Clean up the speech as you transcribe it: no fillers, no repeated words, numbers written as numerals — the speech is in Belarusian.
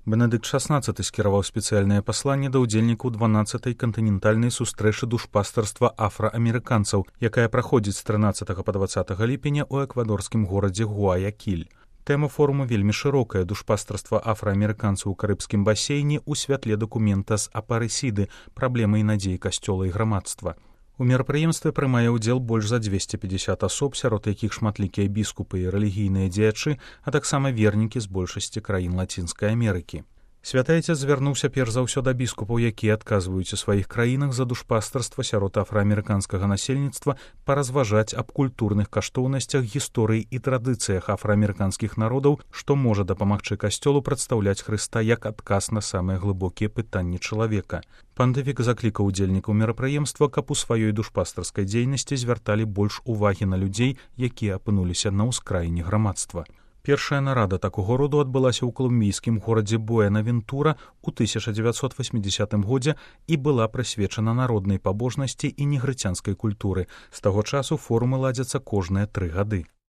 Бенедыкт XVI скіраваў спецыяльнае пасланне да ўдзельнікаў 12-й кантынентальнай сустрэчы душпастарства афраамерыканцаў, якая праходзіць з 13 па 20 ліпеня ў эквадорскім горадзе Гуаякіль. Тэма форуму вельмі шырокая: душпастарства афраамерыканцаў у карыбскім басейне ў святле дакумента з апарысіды, праблемы і надзеі касцёла і грамадства. У мерапрыемстве прымае ўдзел больш за 250 асоб, сярод якіх шматлікія біскупы і рэлігійныя дзеячы, а таксама вернікі з большасці краін Лацінскай Амерыкі. Святы Айцец звярнуўся перш за ўсё да біскупаў, якія адказваюць у сваіх краінах за душпастарства сярод афраамерыканскага насельніцтва, паразважаць аб культурных каштоўнасцях, гісторыі і традыцыях афраамерыканскіх народаў, што можа дапамагчы касцёлу прадстаўляць Хрыста як адказ на самыя глыбокія пытанні чалавека. Пантыфік заклікаў удзельнікаў мерапрыемства, каб у сваёй душпастарскай дзейнасці звярталі больш увагі на людзей, якія апынуліся на ўскраіне грамадства. Першая нарада такога роду адбылася ў калумбійскім горадзе Буэнавентура ў 1980 годзе і была прысвечана народнай пабожнасці і негрыцянскай культуры. З таго часу форумы ладзяцца кожныя 3 гады.